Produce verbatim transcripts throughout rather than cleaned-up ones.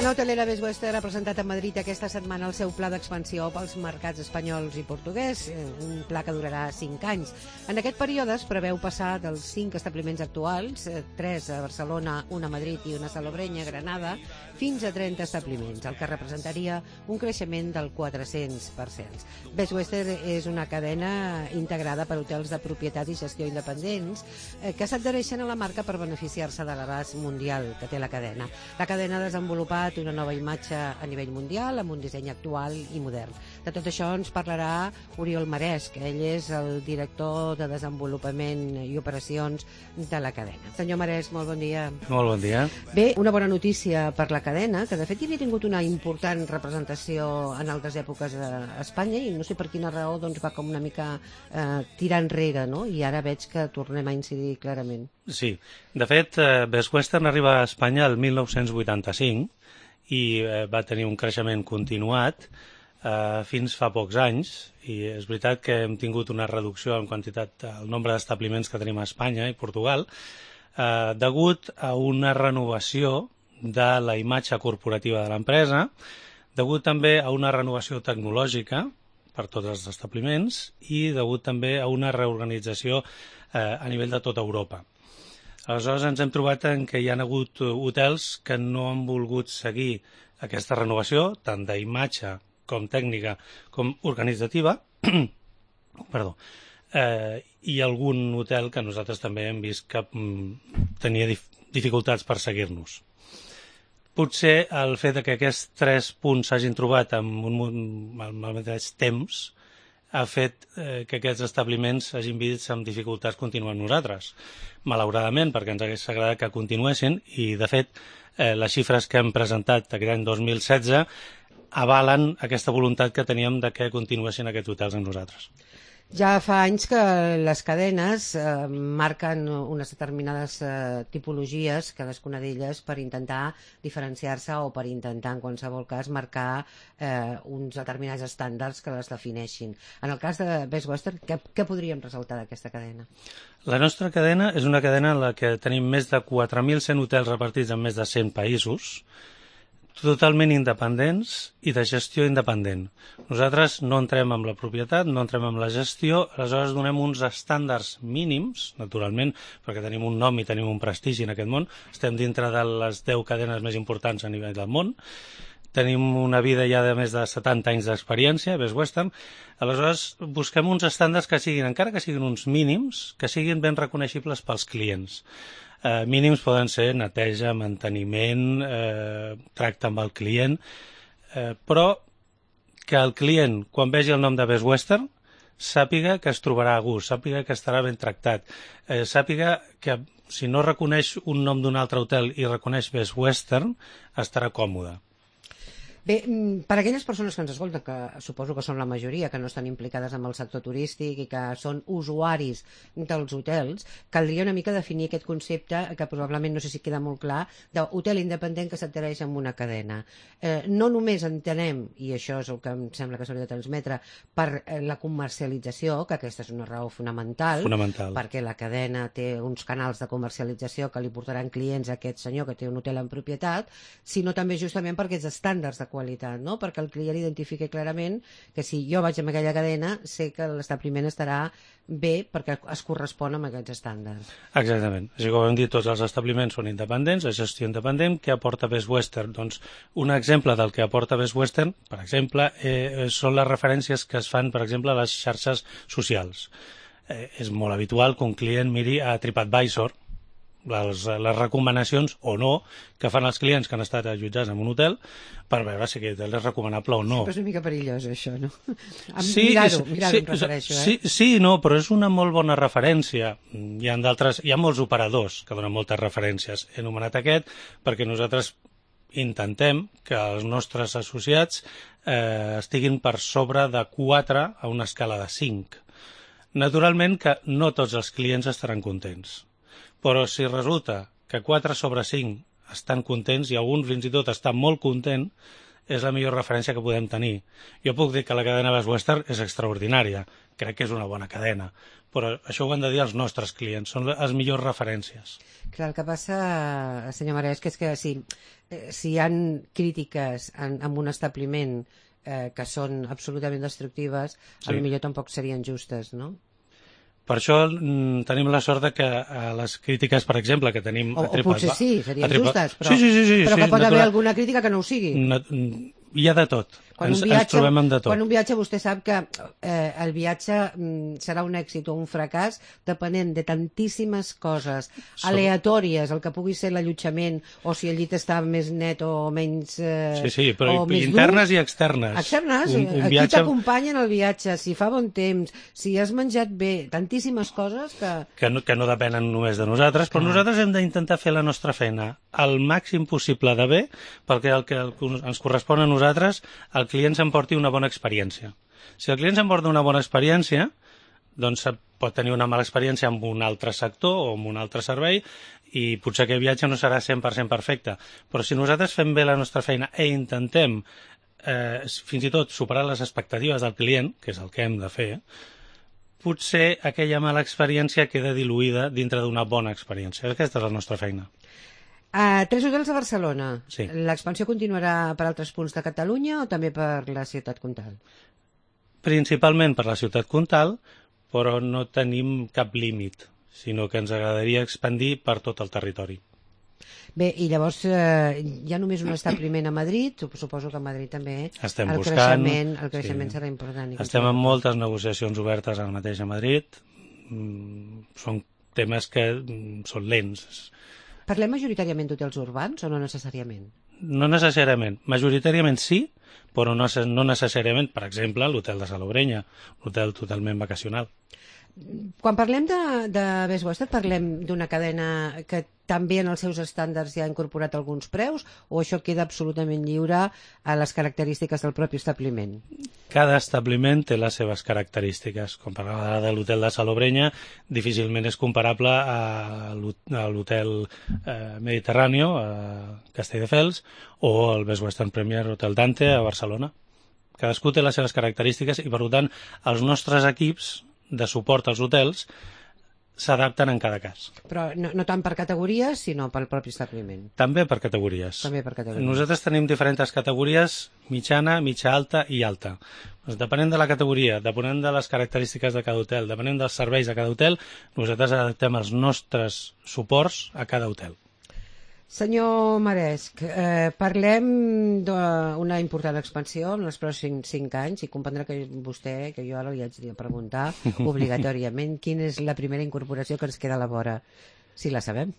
cadena hotelera Best Western ha presentat a Madrid aquesta setmana el seu pla d'expansió pels mercats espanyols i portuguès, un pla que durarà cinc anys. En aquest període es preveu passar dels cinc establiments actuals, tres a Barcelona, un a Madrid i una a Salobreña, Granada, fins a trenta establiments, el que representaria un creixement del quatre-cents per cent. Best Western és una cadena integrada per hotels de propietat i gestió independents que s'adhereixen a la marca per beneficiar-se de l'abast mundial que té la cadena. La cadena ha desenvolupat una nova imatge a nivell mundial amb un disseny actual i modern. De tot això ens parlarà Oriol Marès, que ell és el director de desenvolupament i operacions de la cadena. Senyor Marès, molt bon dia. Molt bon dia. Bé, una bona notícia per la cadena, que de fet hi havia tingut una important representació en altres èpoques a Espanya i no sé per quina raó doncs, va com una mica eh, tirar enrere, no? I ara veig que tornem a incidir clarament. Sí, de fet, eh, Best Western arriba a Espanya el mil nou-cents vuitanta-cinc i eh, va tenir un creixement continuat eh, fins fa pocs anys, i és veritat que hem tingut una reducció en quantitat al nombre d'establiments que tenim a Espanya i Portugal, eh, degut a una renovació de la imatge corporativa de l'empresa, degut també a una renovació tecnològica per tots els establiments i degut també a una reorganització eh, a nivell de tota Europa. Aleshores ens hem trobat en què hi ha hagut hotels que no han volgut seguir aquesta renovació, tant d'imatge com tècnica com organitzativa, perdó, eh, i algun hotel que nosaltres també hem vist que mm, tenia dif dificultats per seguir-nos. Potser el fet que aquests tres punts s'hagin trobat en un al mateix temps ha fet eh, que aquests establiments hagin vist amb dificultats continuar amb nosaltres. Malauradament, perquè ens hagués agradat que continuessin, i de fet eh, les xifres que hem presentat aquest any dos mil setze avalen aquesta voluntat que teníem de que continuessin aquests hotels amb nosaltres. Ja fa anys que les cadenes eh, marquen unes determinades eh, tipologies, cadascuna d'elles, per intentar diferenciar-se o per intentar, en qualsevol cas, marcar eh, uns determinats estàndards que les defineixin. En el cas de Best Western, què, què podríem ressaltar d'aquesta cadena? La nostra cadena és una cadena en la que tenim més de quatre mil cent hotels repartits en més de cent països, totalment independents i de gestió independent. Nosaltres no entrem amb la propietat, no entrem amb la gestió, aleshores donem uns estàndards mínims, naturalment, perquè tenim un nom i tenim un prestigi en aquest món, estem dintre de les deu cadenes més importants a nivell del món, tenim una vida ja de més de setanta anys d'experiència, Best Western, aleshores busquem uns estàndards que siguin, encara que siguin uns mínims, que siguin ben reconeixibles pels clients. Eh, mínims poden ser neteja, manteniment, eh, tracte amb el client, eh, però que el client, quan vegi el nom de Best Western, sàpiga que es trobarà a gust, sàpiga que estarà ben tractat, eh, sàpiga que si no reconeix un nom d'un altre hotel i reconeix Best Western, estarà còmode. Bé, per a aquelles persones que ens escolten, que suposo que són la majoria, que no estan implicades en el sector turístic i que són usuaris dels hotels, caldria una mica definir aquest concepte, que probablement no sé si queda molt clar, d'hotel independent que s'adhereix a una cadena. Eh, no només entenem, i això és el que em sembla que s'hauria de transmetre, per la comercialització, que aquesta és una raó fonamental, fonamental, perquè la cadena té uns canals de comercialització que li portaran clients a aquest senyor que té un hotel en propietat, sinó també justament per aquests estàndards de qualitat, no? Perquè el client identifiqui clarament que si jo vaig amb aquella cadena sé que l'establiment estarà bé perquè es correspon amb aquests estàndards. Exactament. Així com hem dit, tots els establiments són independents, la gestió independent. Què aporta Best Western? Doncs un exemple del que aporta Best Western, per exemple, eh, són les referències que es fan, per exemple, a les xarxes socials. Eh, és molt habitual que un client miri a TripAdvisor, Les, les recomanacions o no que fan els clients que han estat allotjats en un hotel per veure si aquest hotel és recomanable o no. Però és una mica perillós, això, no? Sí, mirar-ho, mirar-ho sí, em refereixo, eh? Sí, sí, no, però és una molt bona referència. Hi ha d'altres, hi ha molts operadors que donen moltes referències. He anomenat aquest perquè nosaltres intentem que els nostres associats eh, estiguin per sobre de quatre a una escala de cinc. Naturalment que no tots els clients estaran contents. Però si resulta que quatre sobre cinc estan contents i algun fins i tot està molt content, és la millor referència que podem tenir. Jo puc dir que la cadena Best Western és extraordinària, crec que és una bona cadena, però això ho han de dir els nostres clients, són les millors referències. Clar, el que passa, senyor Marès, que és que si, si hi ha crítiques en, en un establiment eh, que són absolutament destructives, sí, potser tampoc serien justes, no? Per això mm, tenim la sort de que eh, les crítiques, per exemple, que tenim... O, a Tripa, o potser sí, serien Tripa, justes, però, sí, sí, sí, sí, però que sí, pot natural, haver alguna crítica que no ho sigui. Na, hi ha de tot. Quan ens, un viatge, ens trobem amb de tot. Quan un viatge vostè sap que eh, el viatge mm, serà un èxit o un fracàs depenent de tantíssimes coses Som... aleatòries, el que pugui ser l'allotjament o si el llit està més net o menys eh, sí, sí, però o més internes dur. i externes. Externes, un, un aquí viatge... t'acompanyen el viatge, si fa bon temps, si has menjat bé, tantíssimes coses que... Que no, que no depenen només de nosaltres, però Clar. nosaltres hem d'intentar fer la nostra feina al màxim possible de bé, perquè el que ens correspon a nosaltres, el client s'emporti una bona experiència. Si el client s'emporta una bona experiència, doncs pot tenir una mala experiència amb un altre sector o amb un altre servei i potser aquell viatge no serà cent per cent perfecte. Però si nosaltres fem bé la nostra feina e intentem eh, fins i tot superar les expectatives del client, que és el que hem de fer, potser aquella mala experiència queda diluïda dintre d'una bona experiència. Aquesta és la nostra feina. Uh, tres hotels a Barcelona. Sí. L'expansió continuarà per altres punts de Catalunya o també per la ciutat comtal? Principalment per la ciutat comtal, però no tenim cap límit, sinó que ens agradaria expandir per tot el territori. Bé, i llavors eh, hi ha només un establiment a Madrid, suposo que a Madrid també Estem el buscant, creixement, el creixement sí. serà important. Estem en moltes negociacions obertes ara mateix a Madrid, mm, són temes que mm, són lents. Parlem majoritàriament d'hotels urbans o no necessàriament? No necessàriament. Majoritàriament sí, però no, no necessàriament, per exemple, l'hotel de Salobreña, un hotel totalment vacacional. Quan parlem de, de Best Western, parlem d'una cadena que també en els seus estàndards ja ha incorporat alguns preus o això queda absolutament lliure a les característiques del propi establiment? Cada establiment té les seves característiques. Com parlava de l'hotel de Salobreña, difícilment és comparable a l'hotel eh, Mediterráneo a Castelldefels o el Best Western Premier Hotel Dante a Barcelona. Cadascú té les seves característiques i, per tant, els nostres equips de suport als hotels s'adapten en cada cas. Però no, no tant per categories, sinó pel propi establiment. També per categories. També per categories. Nosaltres tenim diferents categories, mitjana, mitja alta i alta. Doncs depenent de la categoria, depenent de les característiques de cada hotel, depenent dels serveis de cada hotel, nosaltres adaptem els nostres suports a cada hotel. Senyor Maresc, eh, parlem d'una important expansió en els pròxims cinc anys i comprendrà que vostè, que jo ara li haig de preguntar obligatòriament quina és la primera incorporació que ens queda a la vora, si la sabem.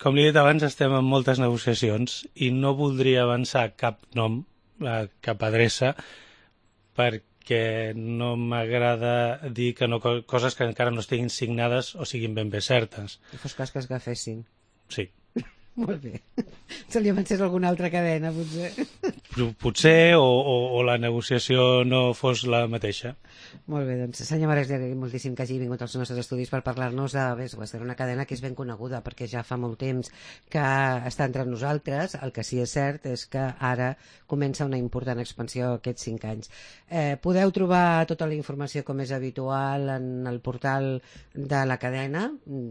Com li he dit abans, estem en moltes negociacions i no voldria avançar cap nom, eh, cap adreça, perquè no m'agrada dir que no, coses que encara no estiguin signades o siguin ben bé certes. I fos cas que es agafessin. Sí. Molt bé. Se li avancés alguna altra cadena, potser. Potser, o, o, o la negociació no fos la mateixa. Molt bé, doncs, senyor Marès, li agraïm moltíssim que hagi vingut als nostres estudis per parlar-nos de Best Western, una cadena que és ben coneguda perquè ja fa molt temps que està entre nosaltres. El que sí és cert és que ara comença una important expansió aquests cinc anys. Eh, podeu trobar tota la informació com és habitual en el portal de la cadena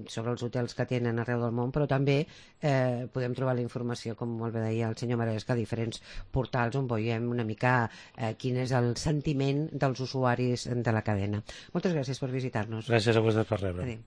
sobre els hotels que tenen arreu del món, però també eh, podem trobar la informació, com molt bé deia el senyor Marès, a diferents portals on veiem una mica eh, quin és el sentiment dels usuaris de la cadena. Moltes gràcies per visitar-nos. Gràcies a vosaltres per rebre. Adéu.